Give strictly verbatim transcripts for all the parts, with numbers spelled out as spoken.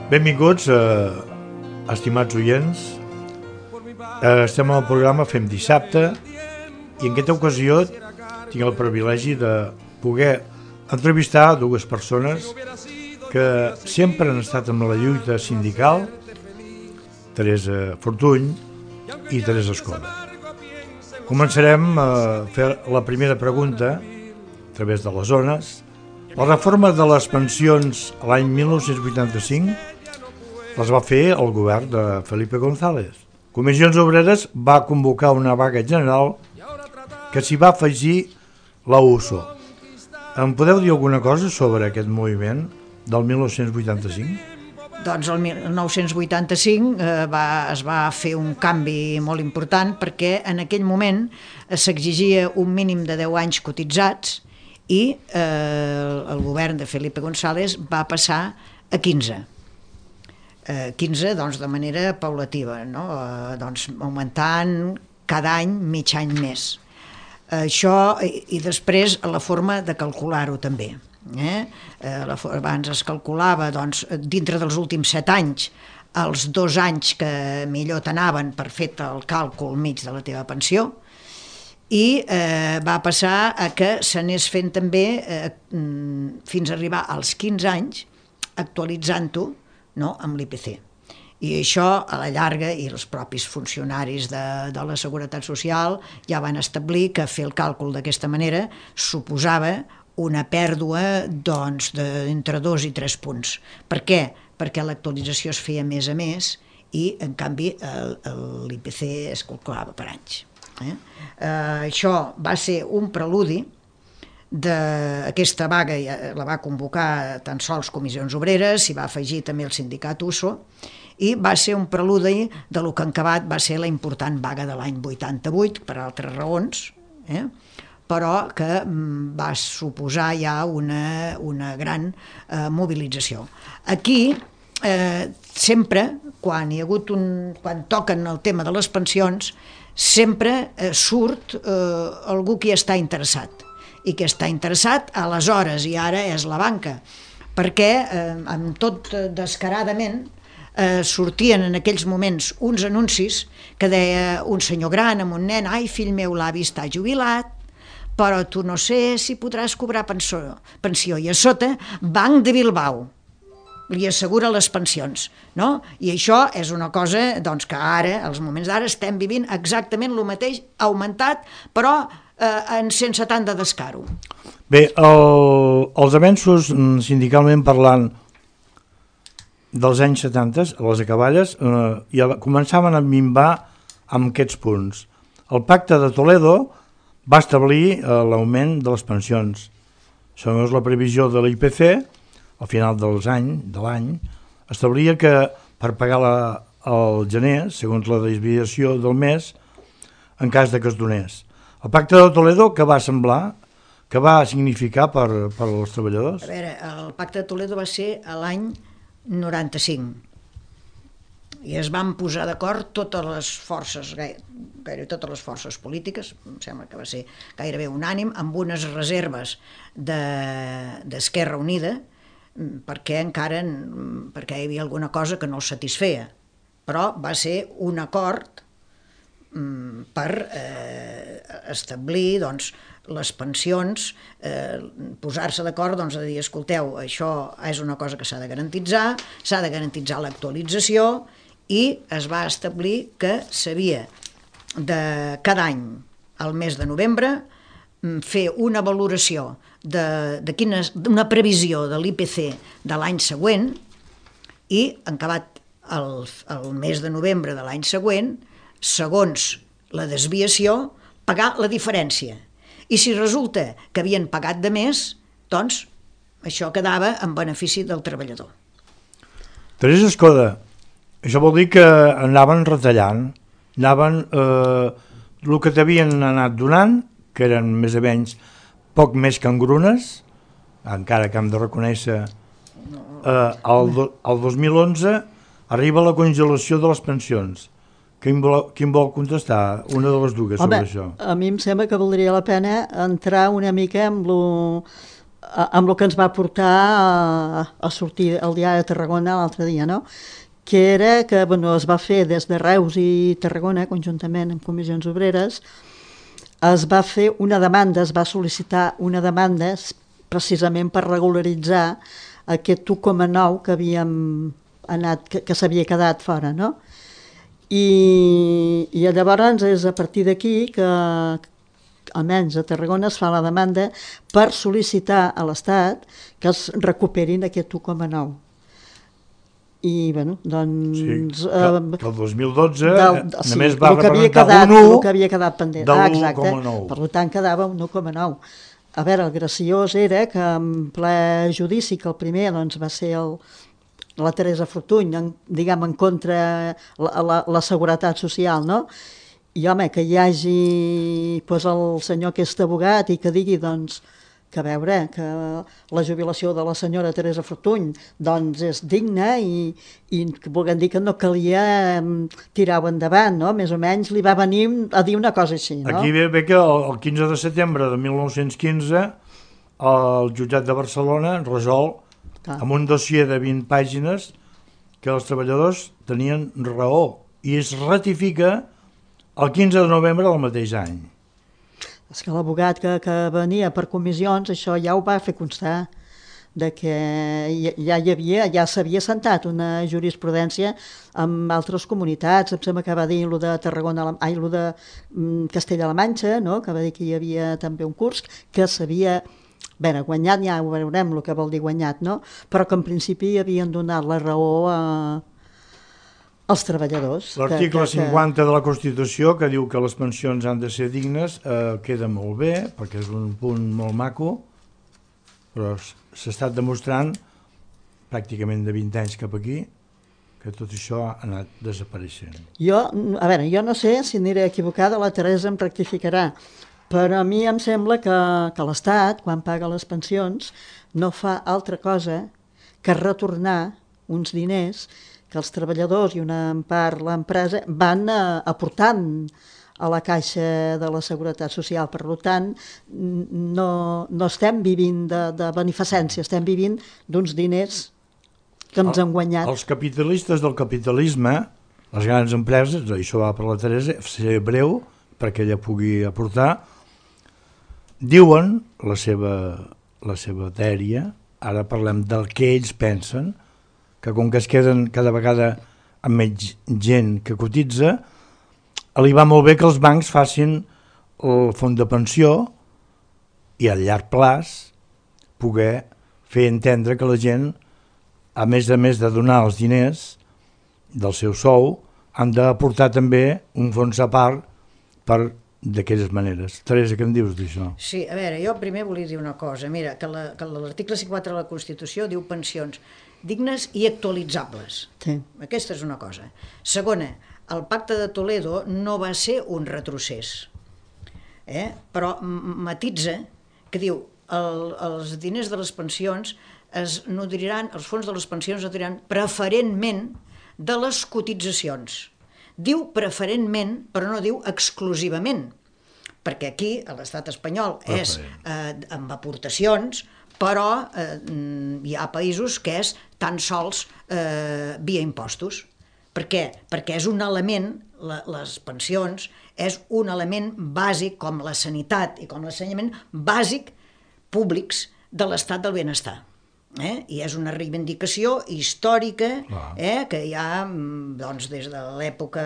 Benvinguts, eh, estimats oients. Eh, estem al programa Fem Dissabte i en aquesta ocasió tinc el privilegi de poder entrevistar dues persones que sempre han estat amb la lluita sindical, Teresa Fortuny i Teresa Escoda. Començarem a fer la primera pregunta a través de les zones. La reforma de les pensions l'any mil nou-cents vuitanta-cinc les va fer el govern de Felipe González. Comissions Obreres va convocar una vaga general que s'hi va afegir la U S O. Em podeu dir alguna cosa sobre aquest moviment del mil nou-cents vuitanta-cinc? Doncs el mil nou-cents vuitanta-cinc eh, va, es va fer un canvi molt important perquè en aquell moment eh, s'exigia un mínim de deu anys cotitzats i eh, el govern de Felipe González va passar a quinze. Eh, quinze doncs, de manera paulativa, no? eh, doncs, augmentant cada any mig any més. Eh, això i, i després la forma de calcular-ho també. Eh? Eh, la, abans es calculava doncs, dintre dels últims set anys els dos anys que millor t'anaven per fer el càlcul mig de la teva pensió i eh, va passar a que s'anés fent també eh, fins a arribar als quinze anys actualitzant-ho, no, amb l'I P C. I això a la llarga i els propis funcionaris de, de la Seguretat Social ja van establir que fer el càlcul d'aquesta manera suposava una pèrdua doncs, d'entre dos i tres punts. Per què? Perquè l'actualització es feia mes a mes i, en canvi, l'I P C es calculava per anys. Eh? Eh, això va ser un preludi d'aquesta vaga, la va convocar tan sols Comissions Obreres, s'hi va afegir també el sindicat U S O, i va ser un preludi de lo que en acabat va ser la important vaga de l'any vuitanta-vuit, per altres raons, eh? però que va suposar ja una, una gran eh, mobilització. Aquí, eh, sempre, quan hi ha hagut un, quan toquen el tema de les pensions, sempre eh, surt eh, algú que està interessat, i que està interessat aleshores, i ara és la banca, perquè eh, amb tot descaradament eh, sortien en aquells moments uns anuncis que deia un senyor gran amb un nen: ai, fill meu, l'avi està jubilat, però tu no sé si podràs cobrar pensió, pensió. I a sota, Banc de Bilbao li assegura les pensions, no? I això és una cosa doncs, que ara, als moments d'ara, estem vivint exactament el mateix, augmentat, però eh, en cent setanta d'escaro. Bé, el, els avenços sindicalment parlant dels anys setanta, les acaballes, eh, ja començaven a minvar amb aquests punts. El Pacte de Toledo va establir eh, l'augment de les pensions. Segons la previsió de l'I P C, al final dels any, de l'any, establia que per pagar la, el gener, segons la desviació del mes, en cas de que es donés. El Pacte de Toledo, què va semblar? Què va significar per, per als treballadors? A veure, el Pacte de Toledo va ser l'any noranta-cinc i es van posar d'acord totes les forces, gaire, gairebé totes les forces polítiques, em sembla que va ser gairebé unànim, amb unes reserves de, d'Esquerra Unida, perquè encara perquè hi havia alguna cosa que no els satisfeia, però va ser un acord per eh, establir doncs, les pensions, eh, posar-se d'acord doncs, a dir, escolteu, això és una cosa que s'ha de garantitzar, s'ha de garantitzar l'actualització, i es va establir que s'havia de cada any, al mes de novembre, fer una valoració de, de quina, una previsió de l'I P C de l'any següent i, en acabat el, el mes de novembre de l'any següent, segons la desviació, pagar la diferència. I si resulta que havien pagat de més, doncs això quedava en benefici del treballador. Teresa Escoda, això vol dir que anaven retallant, anaven eh, el que t'havien anat donant, que eren més o menys poc més que engrunes, encara que hem de reconèixer, eh, el, do, el dos mil onze arriba la congelació de les pensions. Quin vol, quin vol contestar? Una de les dues sobre Home, això. A mi em sembla que valdria la pena entrar una mica amb lo, amb el que ens va portar a, a sortir el diari de Tarragona l'altre dia, no? Que era que bueno, es va fer des de Reus i Tarragona, conjuntament amb comissions obreres, es va fer una demanda, es va sol·licitar una demanda precisament per regularitzar aquest u coma nou que havíem anat, que, que s'havia quedat fora, no? I, i llavors és a partir d'aquí que almenys a Tarragona es fa la demanda per sol·licitar a l'Estat que es recuperin aquest u coma nou. I, bueno, doncs... Sí, que, que el dos mil dotze del, només sí, va representar un u el que havia quedat pendent. de Ah, l'u coma nou. Per tant, quedava un u coma nou. A veure, el graciós era que en ple judici, que el primer doncs, va ser el, la Teresa Fortuny, en, diguem, en contra la, la, la seguretat social, no? I, home, que hi hagi pues, el senyor que és abogat i que digui, doncs, que a veure, que la jubilació de la senyora Teresa Fortuny doncs, és digna i, i volguem dir que no calia tirar-ho endavant, no? Més o menys li va venir a dir una cosa així, no? Aquí ve, ve que el, el quinze de setembre de mil nou-cents quinze el jutjat de Barcelona resol Clar. amb un dossier de vint pàgines que els treballadors tenien raó i es ratifica el quinze de novembre del mateix any. És que l'abogat que, que venia per comissions, això ja ho va fer constar, de que ja hi havia, ja s'havia sentat una jurisprudència amb altres comunitats. Em sembla que va dir lo de Tarragona, ai, lo de Castella-La Manxa, no? Que va dir que hi havia també un curs que s'havia... Bé, guanyat ja ho veurem el que vol dir guanyat, no? Però que en principi havien donat la raó a... els treballadors. L'article cinquanta de la Constitució, que diu que les pensions han de ser dignes, eh, queda molt bé, perquè és un punt molt maco, però s'ha estat demostrant pràcticament de vint anys cap aquí que tot això ha anat desapareixent. Jo, a veure, jo no sé si aniré equivocada, la Teresa em rectificarà, però a mi em sembla que, que l'Estat, quan paga les pensions, no fa altra cosa que retornar uns diners que els treballadors i una part l'empresa van uh, aportant a la caixa de la Seguretat Social. Per tant, no, no estem vivint de, de beneficència, estem vivint d'uns diners que ens han guanyat. Els capitalistes del capitalisme, les grans empreses, això va per la Teresa, seré breu perquè ella pugui aportar, diuen la seva, la seva dèria, ara parlem del que ells pensen, que com que es queden cada vegada amb menys gent que cotitza, li va molt bé que els bancs facin el fons de pensió i a llarg plaç poder fer entendre que la gent, a més a més de donar els diners del seu sou, han d'aportar també un fons a part per d'aquelles maneres. Teresa, què em dius d'això? Sí, a veure, jo primer volia dir una cosa. Mira, que l'article cinquanta de la Constitució diu pensions dignes i actualitzables. Sí. Aquesta és una cosa. Segona, el Pacte de Toledo no va ser un retrocés, eh? Però matitza que diu el, els diners de les pensions es nodriran, els fons de les pensions es nodriran preferentment de les cotitzacions. Diu preferentment, però no diu exclusivament, perquè aquí a l'estat espanyol és eh, amb aportacions, però eh, hi ha països que és tan sols eh, via impostos. Per què? Perquè és un element, la, les pensions, és un element bàsic com la sanitat i com l'ensenyament bàsic públics de l'estat del benestar. Eh? I és una reivindicació històrica eh? Que hi ha doncs, des de l'època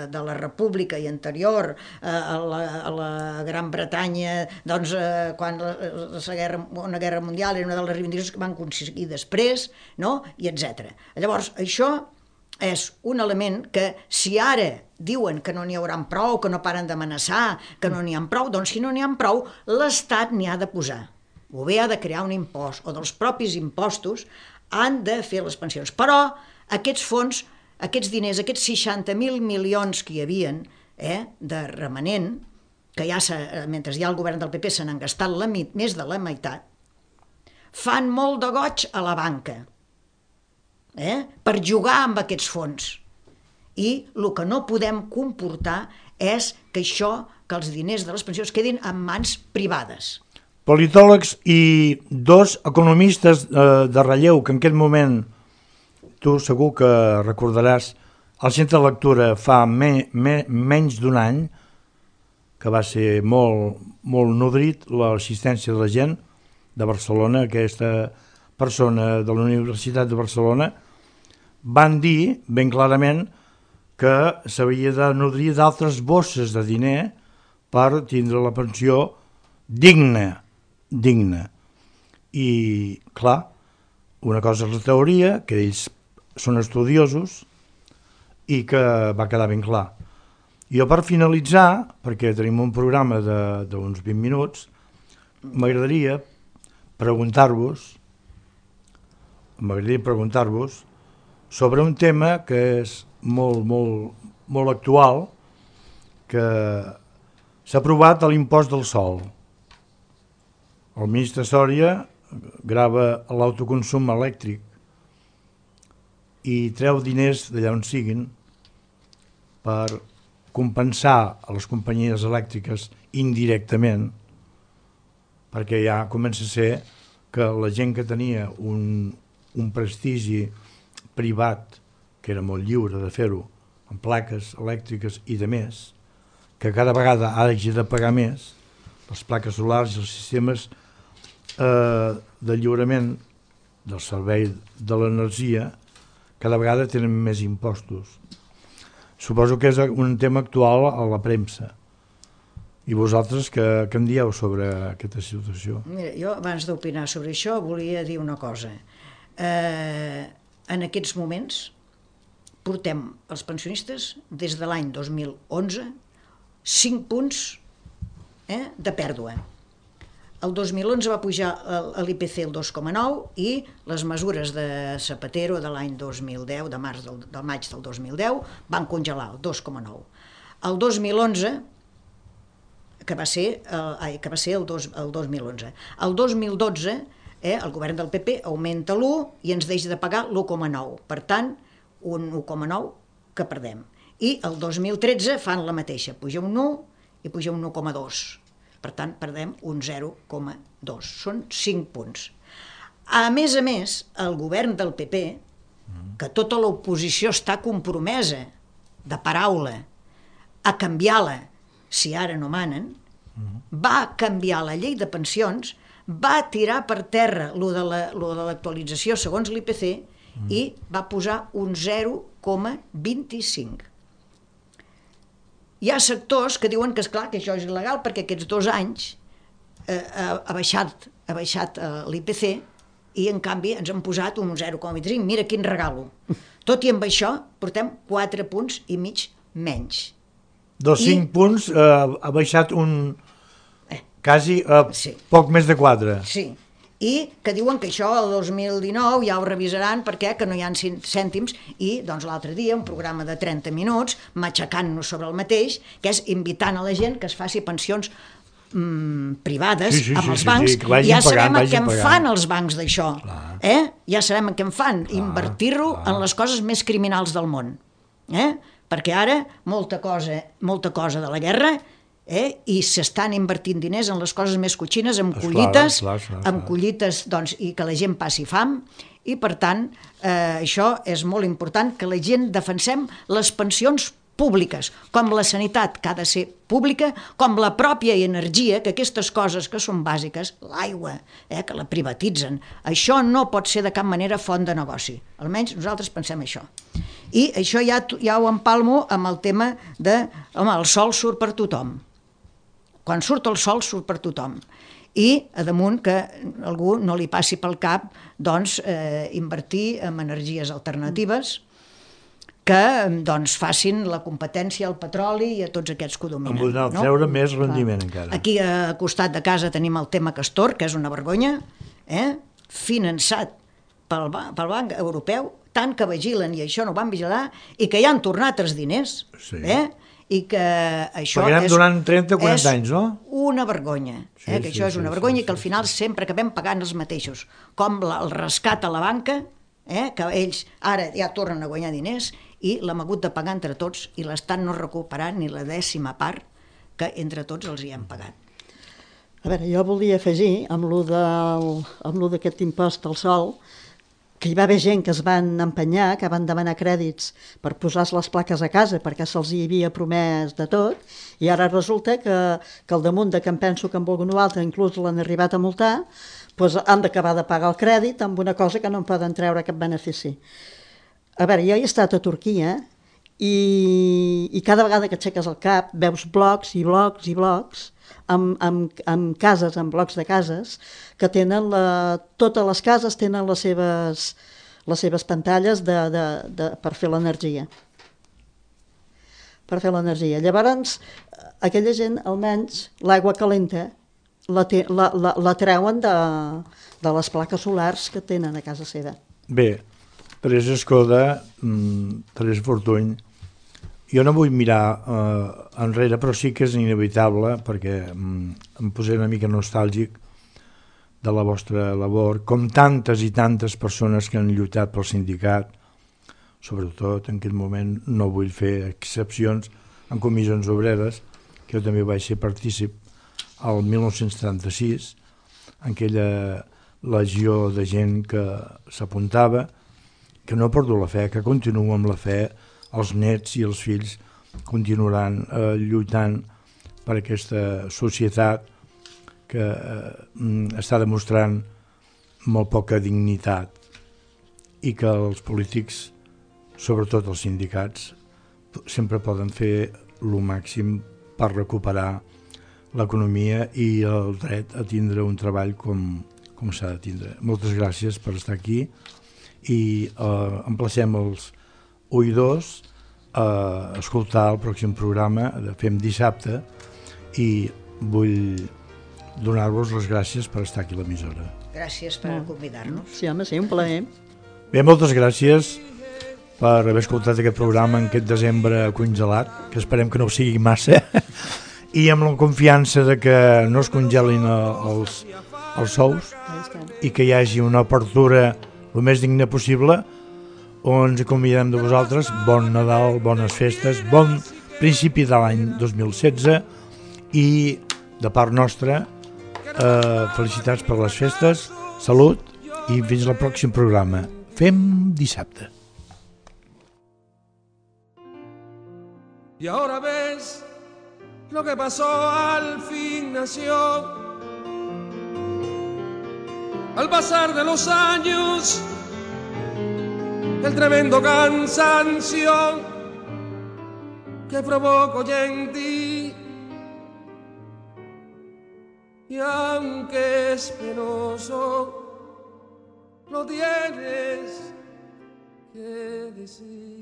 de la República i anterior eh, a, la, a la Gran Bretanya, doncs, eh, quan la, la guerra, una guerra mundial era una de les reivindicacions que van aconseguir després, no? I etcètera. Llavors, això és un element que si ara diuen que no n'hi haurà prou, que no paren d'amenaçar, que no n'hi ha prou, doncs si no n'hi ha prou, l'Estat n'hi ha de posar. O bé ha de crear un impost, o dels propis impostos han de fer les pensions. Però aquests fons, aquests diners, aquests seixanta mil milions que hi havien eh, de remanent, que ja mentre hi ha el govern del P P se n'han gastat la, més de la meitat, fan molt de goig a la banca eh, per jugar amb aquests fons. I el que no podem comportar és que això, que els diners de les pensions quedin en mans privades. politòlegs i dos economistes eh, de relleu que en aquest moment tu segur que recordaràs al centre de lectura fa me, me, menys d'un any, que va ser molt, molt nodrit l'assistència de la gent de Barcelona, aquesta persona de la Universitat de Barcelona, van dir ben clarament que s'havia de nodrir d'altres bosses de diner per tindre la pensió digna, digna. I, clar, una cosa és la teoria, que ells són estudiosos, i que va quedar ben clar. Jo per finalitzar, perquè tenim un programa d'uns vint minuts, m'agradaria preguntar-vos m'agradaria preguntar-vos sobre un tema que és molt, molt, molt actual, que s'ha aprovat l'impost del sol. El ministre Sòria grava l'autoconsum elèctric i treu diners d'allà on siguin per compensar a les companyies elèctriques indirectament, perquè ja comença a ser que la gent que tenia un, un prestigi privat, que era molt lliure de fer-ho, amb plaques elèctriques i de més, que cada vegada hagi de pagar més, les plaques solars i els sistemes eh, de lliurament del servei de l'energia, cada vegada tenen més impostos. Suposo que és un tema actual a la premsa. I vosaltres què, què en dieu sobre aquesta situació? Mira, jo abans d'opinar sobre això volia dir una cosa. Eh, en aquests moments portem els pensionistes des de l'any dos mil onze cinc punts eh, de pèrdua. El dos mil onze va pujar l'I P C el dos coma nou i les mesures de Zapatero de l'any dos mil deu, de març del, del maig del dos mil deu, van congelar el dos coma nou. El dos mil onze, que va ser, eh, que va ser el, dos, el dos mil onze. El dos mil dotze, eh, el govern del P P augmenta l'u i ens deixa de pagar l'u coma nou. Per tant, un u coma nou que perdem. I el dos mil tretze fan la mateixa, puja un u i puja un u coma dos. Per tant, perdem un zero coma dos. Són cinc punts. A més a més, el govern del P P, que tota l'oposició està compromesa de paraula a canviar-la si ara no manen, va canviar la llei de pensions, va tirar per terra lo de l'actualització segons l'I P C i va posar un zero coma vint-i-cinc. Hi ha sectors que diuen que, esclar, que això és il·legal perquè aquests dos anys eh, ha baixat, ha baixat eh, l'I P C i, en canvi, ens han posat un zero coma vint-i-cinc. Mira quin regalo. Tot i amb això, portem quatre punts i mig menys. Dos I... cinc punts eh, ha baixat un... Eh. quasi eh, sí. poc més de quatre. Sí. I que diuen que això el dos mil dinou ja ho revisaran perquè que no hi ha cèntims i doncs l'altre dia un programa de trenta minuts matxacant-nos sobre el mateix, que és invitant a la gent que es faci pensions mm, privades sí, sí, amb sí, els sí, bancs, sí, sí, ja sabem pagant, què en pagant. fan els bancs d'això, eh? Ja sabem què en fan, clar, invertir-ho clar. en les coses més criminals del món, eh? Perquè ara molta cosa, molta cosa de la guerra Eh? i s'estan invertint diners en les coses més cotxines, amb Esclar, collites, clar, clar, clar. amb collites doncs, i que la gent passi fam, i per tant eh, això és molt important, que la gent defensem les pensions públiques, com la sanitat que ha de ser pública, com la pròpia energia, que aquestes coses que són bàsiques, l'aigua, eh, que la privatitzen, això no pot ser de cap manera font de negoci, almenys nosaltres pensem això. I això ja, ja ho empalmo amb el tema de, home, el sol surt per tothom. Quan surt el sol, surt per tothom. I, a damunt, que algú no li passi pel cap doncs, eh, invertir en energies alternatives que doncs, facin la competència al petroli i a tots aquests que ho dominen. En podran no? treure més rendiment, ah. encara. Aquí, a costat de casa, tenim el tema Castor, que és una vergonya, eh? finançat pel, pel Banc Europeu, tant que vigilen i això no van vigilar, i que ja han tornat els diners, sí. eh? i que això Pagarem és, durant trenta o quaranta anys, no? una vergonya, sí, eh? que sí, això és sí, una vergonya sí, i que al final sí. sempre acabem pagant els mateixos, com la, el rescat a la banca, eh? que ells ara ja tornen a guanyar diners i l'hem hagut de pagar entre tots i l'Estat no ha recuperat ni la dècima part que entre tots els hi hem pagat. A veure, jo volia afegir, amb lo del- amb lo d'aquest impost al sol, que hi va haver gent que es van empenyar, que van demanar crèdits per posar les plaques a casa perquè se'ls hi havia promès de tot, i ara resulta que, que al damunt de que em penso que en algun altre inclús l'han arribat a multar, doncs han d'acabar de pagar el crèdit amb una cosa que no en poden treure cap benefici. A veure, jo he estat a Turquia i, i cada vegada que aixeques el cap veus blocs i blocs i blocs amb, amb, amb cases, amb blocs de cases, que tenen la, totes les cases tenen les seves, les seves pantalles de, de, de, per fer l'energia. Per fer l'energia. Llavors, aquella gent, almenys, l'aigua calenta la, te, la, la, la treuen de, de les plaques solars que tenen a casa seva. Bé, Teresa Escoda, Teresa Fortuny, jo no vull mirar eh, enrere, però sí que és inevitable, perquè mm, em posaré una mica nostàlgic de la vostra labor, com tantes i tantes persones que han lluitat pel sindicat, sobretot en aquest moment no vull fer excepcions en comissions obreres, que jo també vaig ser partícip al mil nou-cents trenta-sis, en aquella legió de gent que s'apuntava, que no ha perdut la fe, que continua amb la fe, els nets i els fills continuaran eh, lluitant per aquesta societat que eh, està demostrant molt poca dignitat i que els polítics, sobretot els sindicats, sempre poden fer el màxim per recuperar l'economia i el dret a tindre un treball com, com s'ha de tindre. Moltes gràcies per estar aquí i eh, emplacem els oïdors a escoltar el pròxim programa de Fem Dissabte i vull donar-vos les gràcies per estar aquí a l'emissora. Gràcies per convidar-nos. Sí, home, sí, un plaer. Bé, moltes gràcies per haver escoltat aquest programa en aquest desembre congelat, que esperem que no ho sigui massa, i amb la confiança de que no es congelin els, els sous i que hi hagi una apertura el més digna possible, on ens convidem de vosaltres. Bon Nadal, bones festes, bon principi de l'any dos mil setze i de part nostra eh, felicitats per les festes, salut i fins al pròxim programa. Fem Dissabte. Y ahora ves lo que pasó, al fin nació. Al pasar de los años, el tremendo cansancio que provoco ya en ti. Y aunque es penoso, lo tienes que decir.